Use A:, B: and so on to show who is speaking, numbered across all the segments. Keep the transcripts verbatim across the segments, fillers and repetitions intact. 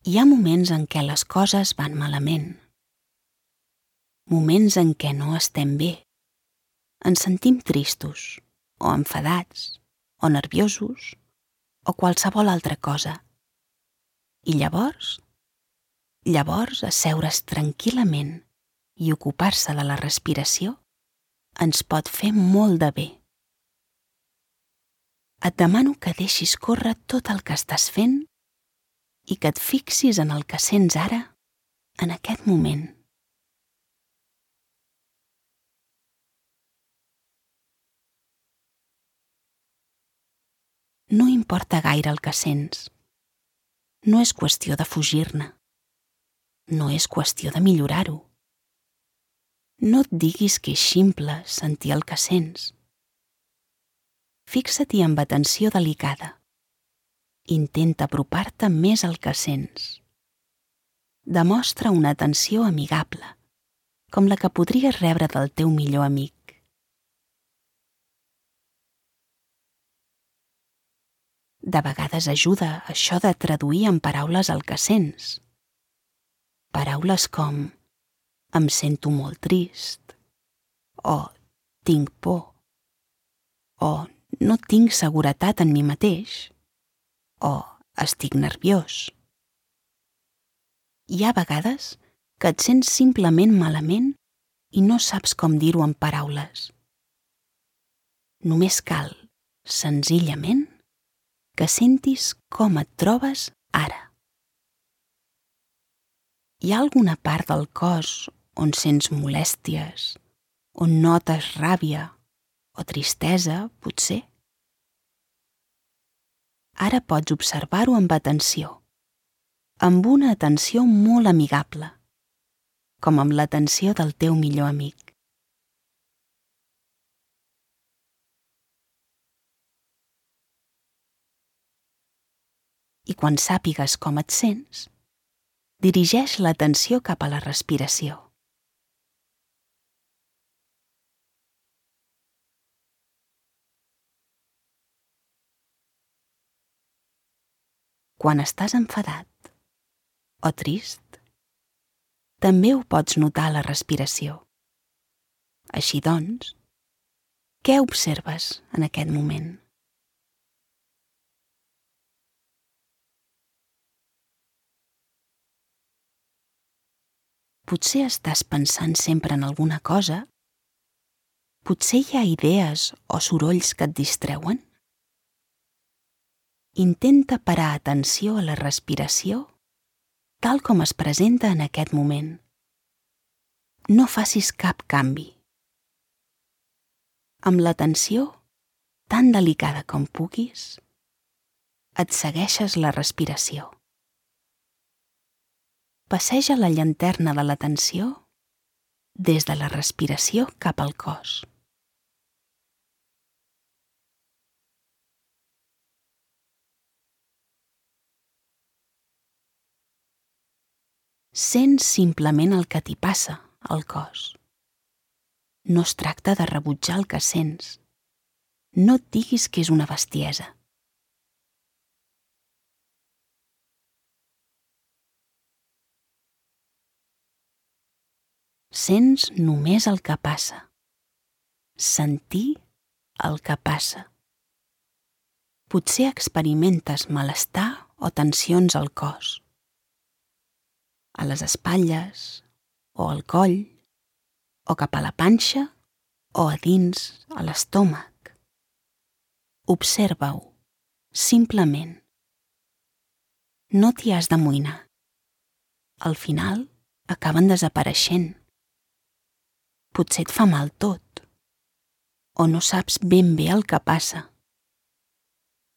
A: Hi ha moments en què les coses van malament. Moments en què no estem bé. Ens sentim tristos, o enfadats, o nerviosos, o qualsevol altra cosa. I llavors, llavors asseure's tranquil·lament i ocupar-se de la respiració ens pot fer molt de bé. Et demano que deixis córrer tot el que estàs fent i que et fixis en el que sents ara, en aquest moment. No importa gaire el que sents. No és qüestió de fugir-ne. No és qüestió de millorar-ho. No et diguis que és ximple sentir el que sents. Fixa-t'hi amb atenció delicada. Intenta apropar-te més al que sents. Demostra una atenció amigable, com la que podries rebre del teu millor amic. De vegades ajuda això de traduir en paraules el que sents. Paraules com em sento molt trist, o tinc por, o no tinc seguretat en mi mateix, o estic nerviós. Hi ha vegades que et sents simplement malament i no saps com dir-ho en paraules. Només cal, senzillament, que sentis com et trobes ara. Hi ha alguna part del cos on sents molèsties, on notes ràbia o tristesa, potser? Ara pots observar-ho amb atenció, amb una atenció molt amigable, com amb l'atenció del teu millor amic. I quan sàpigues com et sents, dirigeix l'atenció cap a la respiració. Quan estàs enfadat o trist, també ho pots notar a la respiració. Així doncs, què observes en aquest moment? Potser estàs pensant sempre en alguna cosa? Potser hi ha idees o sorolls que et distreuen? Intenta parar atenció a la respiració tal com es presenta en aquest moment. No facis cap canvi. Amb l'atenció, tan delicada com puguis, et segueixes la respiració. Passeja la llanterna de l'atenció des de la respiració cap al cos. Sents simplement el que t'hi passa al cos. No es tracta de rebutjar el que sents. No et diguis que és una bestiesa. Sents només el que passa. Sentir el que passa. Potser experimentes malestar o tensions al cos, a les espatlles o al coll, o cap a la panxa o a dins, a l'estómac. Observa-ho, simplement. No t'hi has d'amoïnar. Al final, acaben desapareixent. Potser et fa mal tot, o no saps ben bé el que passa.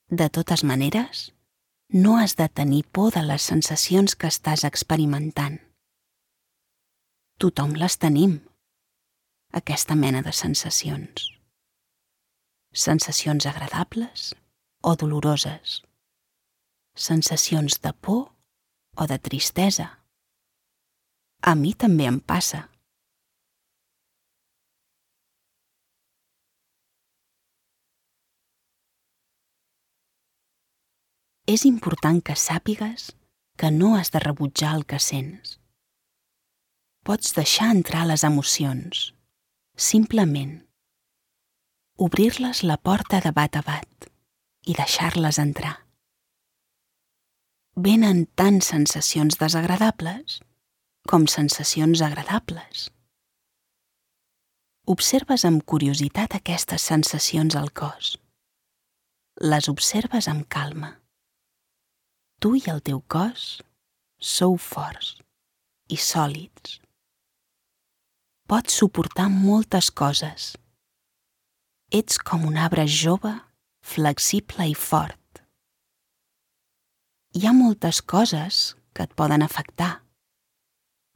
A: De totes maneres, no has de tenir por de les sensacions que estàs experimentant. Tothom les tenim, aquesta mena de sensacions. Sensacions agradables o doloroses. Sensacions de por o de tristesa. A mi també em passa. És important que sàpigues que no has de rebutjar el que sents. Pots deixar entrar les emocions, simplement. Obrir-les la porta de bat a bat i deixar-les entrar. Venen tant sensacions desagradables com sensacions agradables. Observes amb curiositat aquestes sensacions al cos. Les observes amb calma. Tu i el teu cos sou forts i sòlids. Pots suportar moltes coses. Ets com un arbre jove, flexible i fort. Hi ha moltes coses que et poden afectar,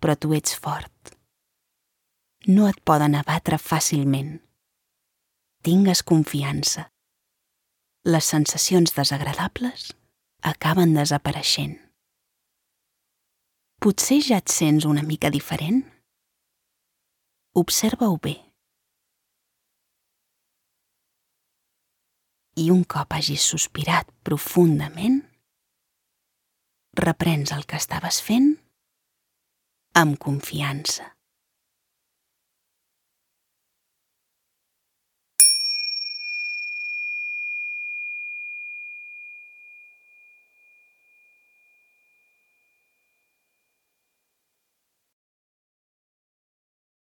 A: però tu ets fort. No et poden abatre fàcilment. Tingues confiança. Les sensacions desagradables acaben desapareixent. Potser ja et sents una mica diferent? Observa-ho bé. I un cop hagis sospirat profundament, reprens el que estaves fent amb confiança.